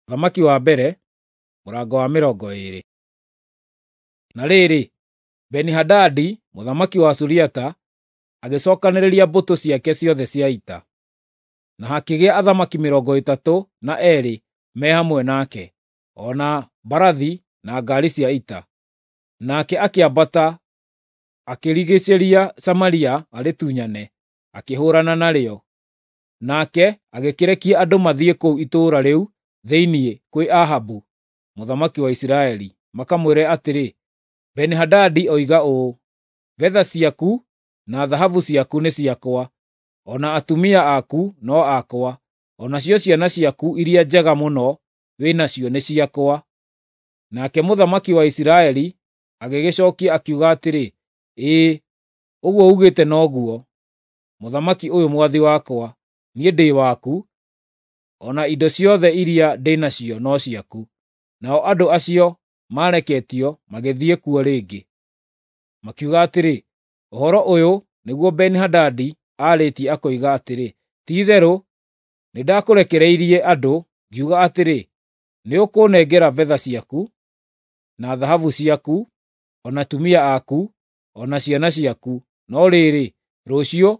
Ũthamaki wa mbere, mũrango wa 20. Na rĩrĩ, Beni-Hadadi mũthamaki wa Suriata agĩcookanĩrĩria mbũtũ ciake ciothe cia ita, na hakĩgĩa athamaki 32 me hamwe nake, o na mbarathi na ngaari cia ita. Nake akĩambata akĩrigiicĩria Samaria arĩtunyane, akĩhũũrana narĩo. Nake agĩkĩrekia andũ mathiĩ kũu itũũra rĩu thĩinĩ kwĩ Ahabu mũthamaki wa Isiraeli, makamwĩre atĩrĩ, Beni-Hadadi oiga ũũ, “Betha ciaku na thahabu ciaku nĩ ciakwa, o na atumia aku no akwa, o nacio ciana ciaku iria njega mũno wĩ nacio nĩ ciakwa.” Nake mũthamaki wa Isiraeli agĩgĩcookia akiuga atĩrĩ, “Ĩĩ, ũguo uugĩte noguo, mũthamaki ũyũ mwathi wakwa, niĩ ndĩ waku, o na indo ciothe iria ndĩ nacio no ciaku.” Nao andũ acio maareketio magĩthiĩ kuo rĩngĩ, makiuga atĩrĩ, “Ũhoro ũyũ nĩguo Beni-Hadadi aarĩtie akoiga atĩrĩ, ‘Ti-itherũ nĩndakũrekereirie andũ ngiuga atĩrĩ, nĩũkũnengera betha ciaku, na thahabu ciaku, o na atumia aku, o na ciana ciaku, no rĩrĩ, rũciũ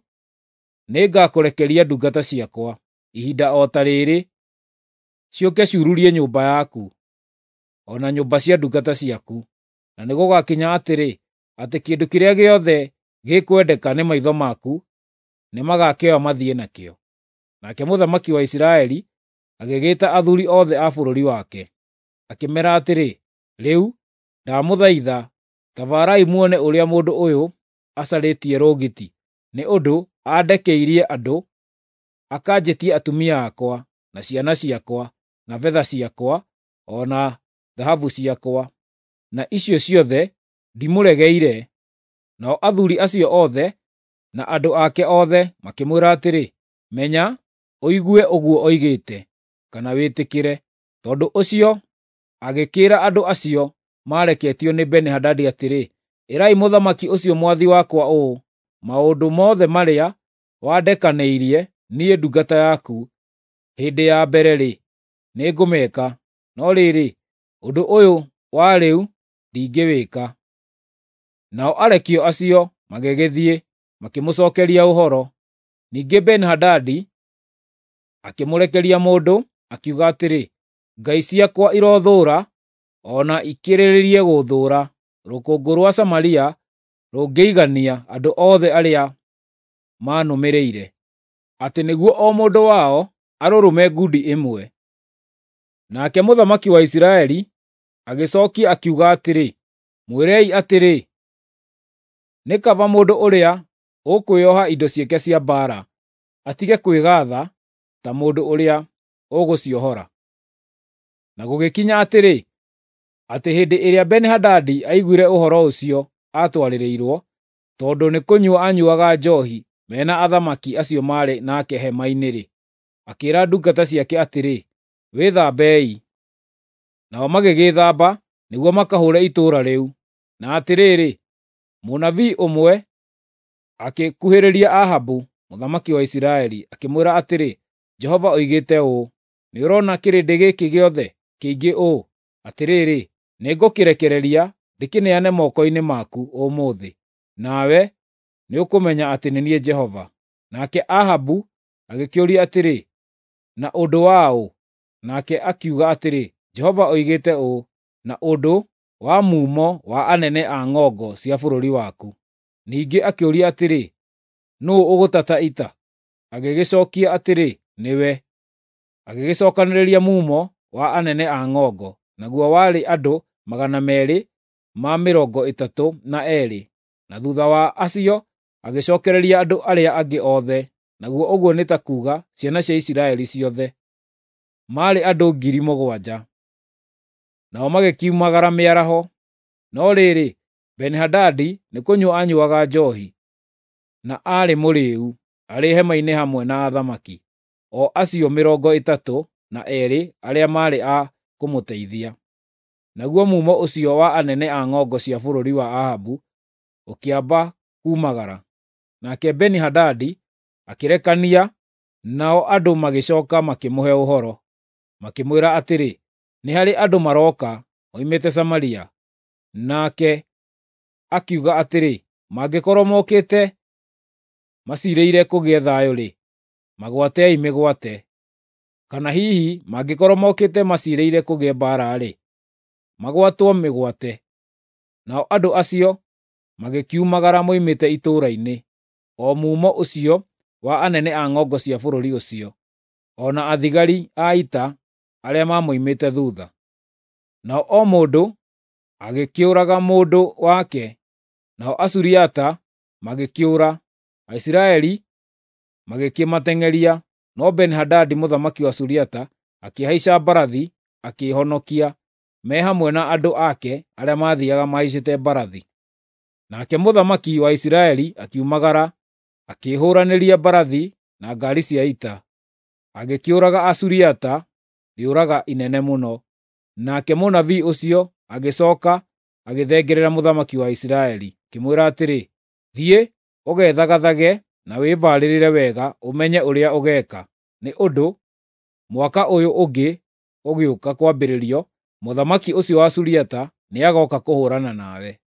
nĩngakũrekeria ndungata ciakwa, ihinda o ta rĩrĩ, ciũke ciururie nyũmba yaku, o na nyũmba cia ndungata ciaku. Na nĩgũgakinya atĩrĩ, atĩ kĩndũ kĩrĩa gĩothe gĩkwendeka nĩ maitho maku nĩmagakĩoya mathiĩ nakĩo.” Nake mũthamaki wa Isiraeli agĩgĩĩta athuuri othe a bũrũri wake, akĩmeera atĩrĩ, “Rĩu, ndamũthaitha, ta baarai muone ũrĩa mũndũ ũyũ acarĩtie rũgiti, nĩ ũndũ andekeirie andũ, akanjĩtia atumia akwa, na ciana ciakwa, na betha ciakwa, o na thahabu ciakwa, na icio ciothe ndimũregeire.” Nao athuuri acio othe na andũ ake othe makĩmwĩra atĩrĩ, “Menya, ũigue ũguo oigĩte, kana wĩtĩkĩre.” Tondũ ũcio agĩkĩĩra andũ acio maareketio nĩ Beni-Hadadi atĩrĩ, “Ĩrai mũthamaki ũcio mwathi wakwa ũũ, ‘Maũndũ mothe marĩa wandekanĩirie niĩ ndungata yaku hĩndĩ ya mbere-rĩ, nĩngũmeka, no rĩrĩ, ũndũ ũyũ wa rĩu ndingĩwĩka.’ ” Nao arekio acio magĩgĩthiĩ, makĩmũcookeria ũhoro. Ningĩ Beni-Hadadi akĩmũrekeria mũndũ, akiuga atĩrĩ, “Ngai ciakwa irothũũra, o na ikĩrĩrĩrie gũthũũra, rũkũngũ rwa Samaria rũngĩigania andũ othe arĩa manũmĩrĩire, atĩ nĩguo o mũndũ wao arũrũme ngundi ĩmwe.” Nake mũthamaki wa Isiraeli agĩcookia akiuga atĩrĩ, “Mwĩrei atĩrĩ, ‘Nĩ kaba mũndũ ũrĩa ũkwĩoha indo ciake cia mbaara atige kwĩgaatha ta mũndũ ũrĩa ũgũciohora.’ ” Na gũgĩkinya atĩrĩ, atĩ hĩndĩ ĩrĩa Beni-Hadadi aiguire ũhoro ũcio aatwarĩrĩirwo, tondũ nĩkũnyua aanyuuaga njoohi me na athamaki acio maarĩ nake hema-inĩ-rĩ, akĩĩra ndungata ciake atĩrĩ, “Wĩthambei.” Nao magĩgĩĩthamba nĩguo makahũũre itũũra rĩu. Na atĩrĩrĩ, mũnabii ũmwe akĩkuhĩrĩria Ahabu mũthamaki wa Isiraeli, akĩmwĩra atĩrĩ, “Jehova oigĩte ũũ, ‘Nĩũrona kĩrĩndĩ gĩkĩ gĩothe kĩingĩ ũũ? Atĩrĩrĩ, nĩngũkĩrekereria ndĩkĩneane moko-inĩ maku ũmũthĩ, nawe nĩũkũmenya atĩ nĩ niĩ Jehova.’ ” Nake Ahabu agĩkĩũria atĩrĩ, “Na ũndũ wa ũ?” Nake akiuga atĩrĩ, “Jehova oigĩte ũũ, ‘Na ũndũ wa mumo wa anene a ng'ongo cia bũrũri waku.’ ” Ningĩ akĩũria atĩrĩ, “Nũũ ũgũtata ita?” Agĩgĩcookia atĩrĩ, “Nĩwe.” Agĩgĩcookanĩrĩria mumo wa anene a ng'ongo, naguo warĩ andũ 232, na thuutha wa acio agĩcookereria andũ arĩa angĩ othe, naguo ũguo nĩ ta kuuga ciana cia Isiraeli ciothe, maarĩ andũ 7,000. Nao magĩkiumagara mĩaraho. No rĩrĩ, Beni-Hadadi nĩkũnyua aanyuuaga njoohi, na aarĩ mũrĩĩu, arĩ hema-inĩ hamwe na athamaki, o acio 32 arĩa maarĩ a kũmũteithia. Naguo mumo ũcio wa anene a ng'ongo cia bũrũri wa Ahabu ũkĩamba kuumagara. Nake Beni-Hadadi akĩrekania, nao andũ magĩcooka makĩmũhe ũhoro. Makĩmwĩra atĩrĩ, "Nĩ harĩ andũ maroka moimĩte Samaria." Nake akiuga atĩrĩ, "Mangĩkorwo mokĩte maciirĩire kũgĩe thayũ-rĩ, magwatei mĩgwate. Kana hihi mangĩkorwo mokĩte maciirĩire kũgĩe mbaara-rĩ, magwatwo mĩgwate." Nao andũ acio magĩkiumagara moimĩte itũũra-inĩ, o mumo ũcio wa anene a ng'ongo cia bũrũri ũcio, o na athigari a ita arĩa mamoimĩte thuutha. Nao o mũndũ agĩkĩũraga mũndũ wake, nao Asuriata magĩkĩũra, Aisiraeli magĩkĩmateng'eria, no Beni-Hadadi mũthamaki wa Suriata akĩhaica mbarathi akĩĩhonokia, me hamwe na andũ ake arĩa maathiiaga mahaicĩte mbarathi. Nake mũthamaki wa Isiraeli akiumagara, akĩĩhũũranĩria mbarathi na ngaari cia ita, agĩkĩũraga Asuriata rĩũraga inene mũno. Nake mũnabii ũcio agĩcooka agĩthengerera mũthamaki wa Isiraeli, akĩmwĩra atĩrĩ, "Thiĩ ũgethagathage na wĩbaarĩrĩre wega ũmenye ũrĩa ũgeeka, nĩ ũndũ mwaka ũyũ ũngĩ ũgĩũka kwambĩrĩrio, mũthamaki ũcio wa Suriata nĩagooka kũhũũrana nawe."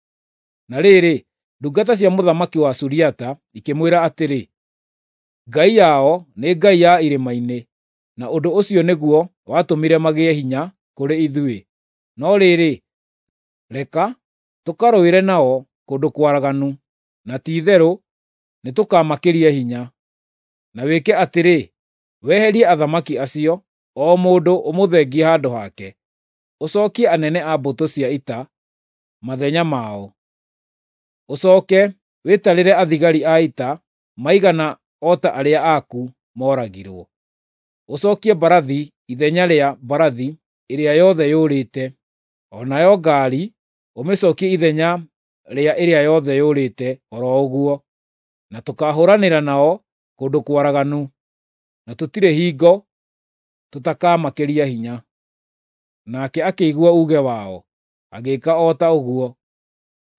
Na rĩrĩ, ndungata cia mũthamaki wa Suriata ikĩmwĩra atĩrĩ, "Ngai yao nĩ ngai ya irĩma-inĩ, na ũndũ ũcio nĩguo watũmire magĩe hinya kũrĩ ithuĩ. No rĩrĩ, reka tũkarũĩre nao kũndũ kwaraganu, na ti-itherũ nĩtũkamakĩria hinya. Na wĩke atĩrĩ, weherie athamaki acio, o mũndũ ũmũthengie handũ hake, ũcookie anene a mbũtũ cia ita mathenya mao. Ũcooke wĩtarĩre athigari a ita maigana o ta arĩa aku mooragirwo. Ũcookie mbarathi ithenya rĩa mbarathi ĩrĩa yothe yũrĩte, o nayo ngaari ũmĩcookie ithenya rĩa ĩrĩa yothe yũrĩte o ro ũguo, na tũkaahũũranĩra nao kũndũ kwaraganu, na tũtirĩ hingo tũtakamakĩria hinya." Nake akĩigua uuge wao, agĩĩka o ta ũguo.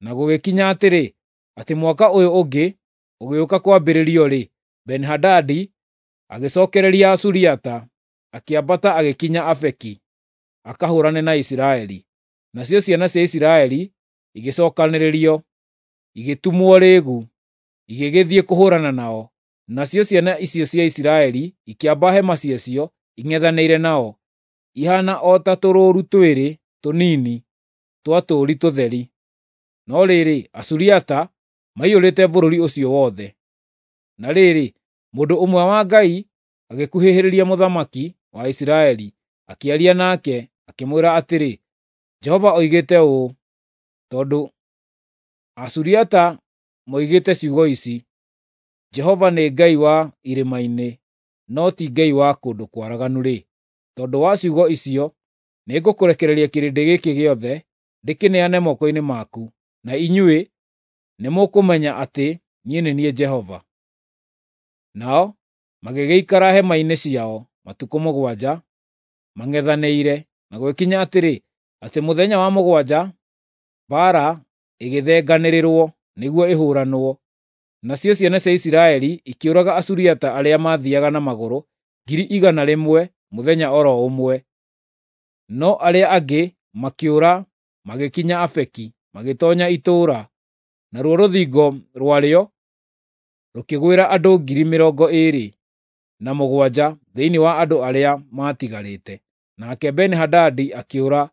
Na gũgĩkinya atĩrĩ, atĩ mwaka ũyũ ũngĩ ũgĩũka kwambĩrĩrio-rĩ, Beni-Hadadi agĩcookereria Asuriata, akĩambata agĩkinya Afeki akahũũrane na Isiraeli. Nacio ciana cia Isiraeli igĩcookanĩrĩrio, igĩtumwo rĩĩgu, igĩgĩthiĩ kũhũũrana nao. Nacio ciana icio cia Isiraeli ikĩamba hema ciacio ing'ethanĩire nao, ihaana o ta tũrũũru twĩrĩ tũnini twa tũũri tũtheri. No rĩrĩ, Asuriata maiyũrĩte bũrũri ũcio wothe. Na rĩrĩ, mũndũ ũmwe wa Ngai agĩkuhĩhĩrĩria mũthamaki wa Isiraeli, akĩaria nake, akĩmwĩra atĩrĩ, "Jehova oigĩte ũũ, tondũ Asuriata moigĩte ciugo ici, 'Jehova nĩ Ngai wa irĩma-inĩ, no ti Ngai wa kũndũ kwaraganu-rĩ, tondũ wa ciugo icio, nĩngũkũrekereria kĩrĩndĩ gĩkĩ gĩothe ndĩkĩneane moko-inĩ maku, na inyuĩ nĩmũkũmenya atĩ niĩ nĩ niĩ Jehova." Nao magĩgĩikara hema-inĩ ciao matukũ 7 mang'ethanĩire, na gũgĩkinya atĩrĩ, atĩ mũthenya wa 7 mbaara ĩgĩthenganĩrĩrwo nĩguo ĩhũũranwo. Nacio ciana cia Isiraeli ikĩũraga Asuriata arĩa maathiiaga na magũrũ 100,000 mũthenya o ro ũmwe. No arĩa angĩ makĩũra magĩkinya Afeki, magĩtoonya itũũra, naruo rũthingo rwarĩo rũkĩgwĩra andũ 27,000 thĩinĩ wa andũ arĩa maatigarĩte. Nake Beni-Hadadi akĩũra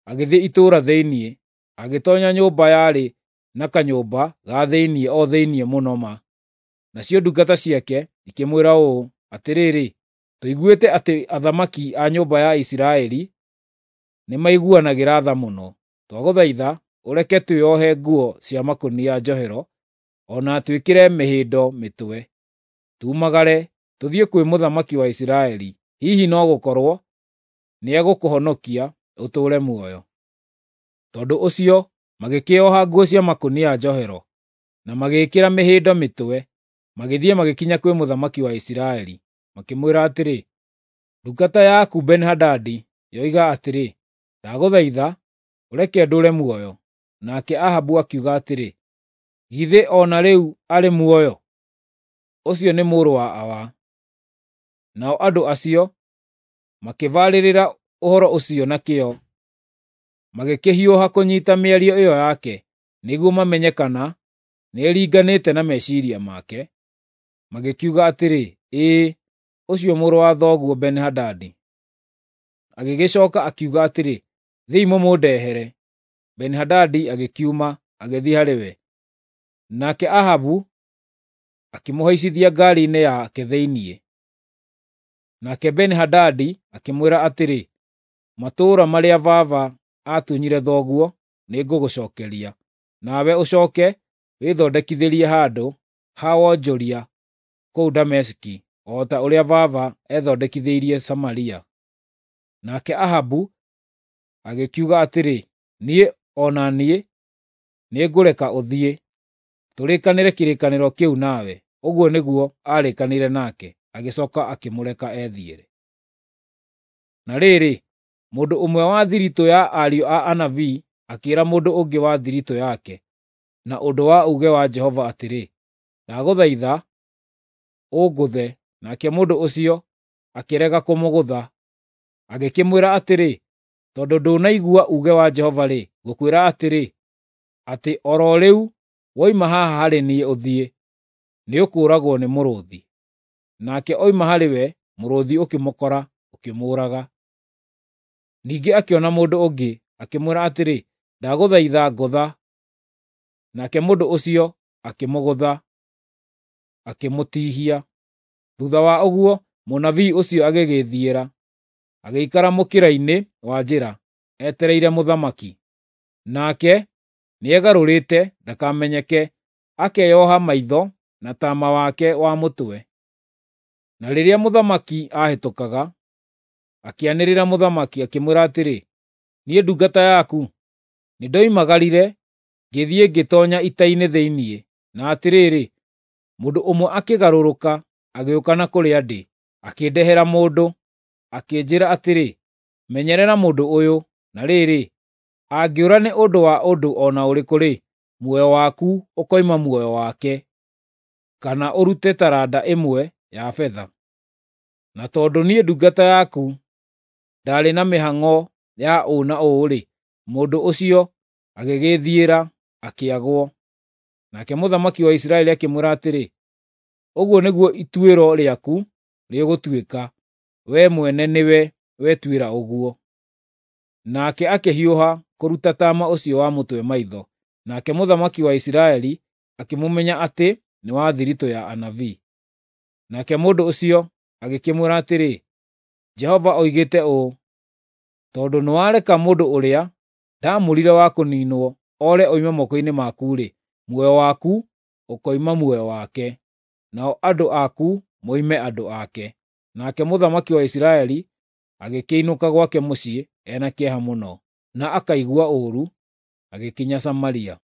agĩthiĩ itũũra thĩinĩ, agĩtoonya nyũmba yarĩ na kanyũmba ga thĩinĩ o thĩinĩ mũno ma. Nacio ndungata ciake ikĩmwĩra ũũ, "Atĩrĩrĩ, tũiguĩte atĩ athamaki a nyũmba ya Isiraeli nĩmaiguanagĩra tha mũno. Twagũthaitha ũreke twĩohe nguo cia makũnia njohero o na twĩkĩre mĩhĩndo mĩtwe, tumagare tũthiĩ kwĩ mũthamaki wa Isiraeli. Hihi no gũkorwo nĩegũkũhonokia ũtũũre muoyo." Tondũ ũcio magĩkĩĩoha nguo cia makũnia njohero, na magĩĩkĩra mĩhĩndo mĩtwe, magĩthiĩ magĩkinya kwĩ mũthamaki wa Isiraeli, makĩmwĩra atĩrĩ, "Ndungata yaku Beni-Hadadi yoiga atĩrĩ, 'Ndagũthaitha ũreke ndũũre muoyo.'" Nake Ahabu akiuga atĩrĩ, "Githĩ o na rĩu arĩ muoyo? Ũcio nĩ mũrũ wa awa." Nao andũ acio Makĩbarĩrĩra ũhoro ũcio na kĩyo, magĩkĩhiũha kũnyiita mĩario ĩyo yake nĩguo mamenye kana nĩĩringanĩte na meciiria make. Magĩkiuga atĩrĩ, “Ĩĩ, ũcio mũrũ wa thoguo Beni-Hadadi.” Agĩgĩcooka akiuga atĩrĩ, “Thiĩi mũmũndehere.” Beni-Hadadi agĩkiuma, agĩthiĩ harĩ we. Nake Ahabu akĩmũhaicithia ngaari-inĩ yake thĩinĩ. Nake Beni-Hadadi akĩmwĩra atĩrĩ, “Matũũra marĩa baba aatunyire thoguo nĩngũgũcookeria, nawe ũcooke wĩthondekithĩrie handũ ha wonjoria kũu Dameski, o ta ũrĩa baba eethondekithĩirie Samaria.” Nake Ahabu agĩkiuga atĩrĩ, “Niĩ o na niĩ nĩngũreka ũthiĩ, tũrĩkanĩre kĩrĩkanĩro kĩu nawe.” Ũguo nĩguo aarĩkanĩire nake, agĩcooka akĩmũreka ethiĩre. Na rĩrĩ, mũndũ ũmwe wa thiritũ ya ariũ a anabii akĩĩra mũndũ ũngĩ wa thiritũ yake na ũndũ wa uuge wa Jehova atĩrĩ, “Ndagũthaitha ũngũthe.” Nake mũndũ ũcio akĩrega kũmũgũtha. Agĩkĩmwĩra atĩrĩ, “Tondũ ndũnaigua uuge wa Jehova-rĩ, ngũkwĩra atĩrĩ, atĩ o ro rĩu woima haha harĩ niĩ ũthiĩ, nĩũkũũragwo nĩ mũrũũthi.” Nake oima harĩ we, mũrũũthi ũkĩmũkora, ũkĩmũũraga. Ningĩ akĩona mũndũ ũngĩ, akĩmwĩra atĩrĩ, “Ndagũthaitha ngũtha.” Nake mũndũ ũcio akĩmũgũtha, akĩmũtihia. Thuutha wa ũguo, mũnabii ũcio agĩgĩĩthiĩra, agĩikara mũkĩra-inĩ wa njĩra, etereire mũthamaki. Nake nĩegarũrĩte ndakamenyeke, akeyoha maitho na taama wake wa mũtwe. Na rĩrĩa mũthamaki aahĩtũkaga, akĩanĩrĩra mũthamaki, akĩmwĩra atĩrĩ, “Niĩ ndungata yaku nĩndoimagarire ngĩthiĩ ngĩtoonya ita-inĩ thĩinĩ, na atĩrĩrĩ, mũndũ ũmwe akĩgarũrũka agĩũka na kũrĩa ndĩ, akĩndehera mũndũ, akĩnjĩĩra atĩrĩ, ‘Menyerera mũndũ ũyũ, na rĩrĩ, angĩũra nĩ ũndũ wa ũndũ o na ũrĩkũ-rĩ, muoyo waku ũkoima muoyo wake, kana ũrute taranda ĩmwe ya betha.’ Na tondũ niĩ ndungata yaku ndaarĩ na mĩhang'o ya ũũ na ũũ-rĩ, mũndũ ũcio agĩgĩĩthiĩra, akĩagwo.” Nake mũthamaki wa Isiraeli akĩmwĩra atĩrĩ, “Ũguo nĩguo ituĩro rĩaku rĩgũtuĩka, wee mwene nĩwe wetuĩra ũguo.” Nake akĩhiũha kũruta taama ũcio wa mũtwe maitho, nake mũthamaki wa Isiraeli akĩmũmenya atĩ nĩ wa thiritũ ya anabii. Nake mũndũ ũcio agĩkĩmwĩra atĩrĩ, “Jehova oigĩte ũũ, tondũ nĩwareka mũndũ ũrĩa ndaamũrire wa kũniinwo oore oime moko-inĩ maku-rĩ, muoyo waku ũkoima muoyo wake, nao andũ aku moime andũ ake.” Nake mũthamaki wa Isiraeli agĩkĩinũka gwake mũciĩ e na kĩeha mũno, na akaigua ũũru, agĩkinya Samaria.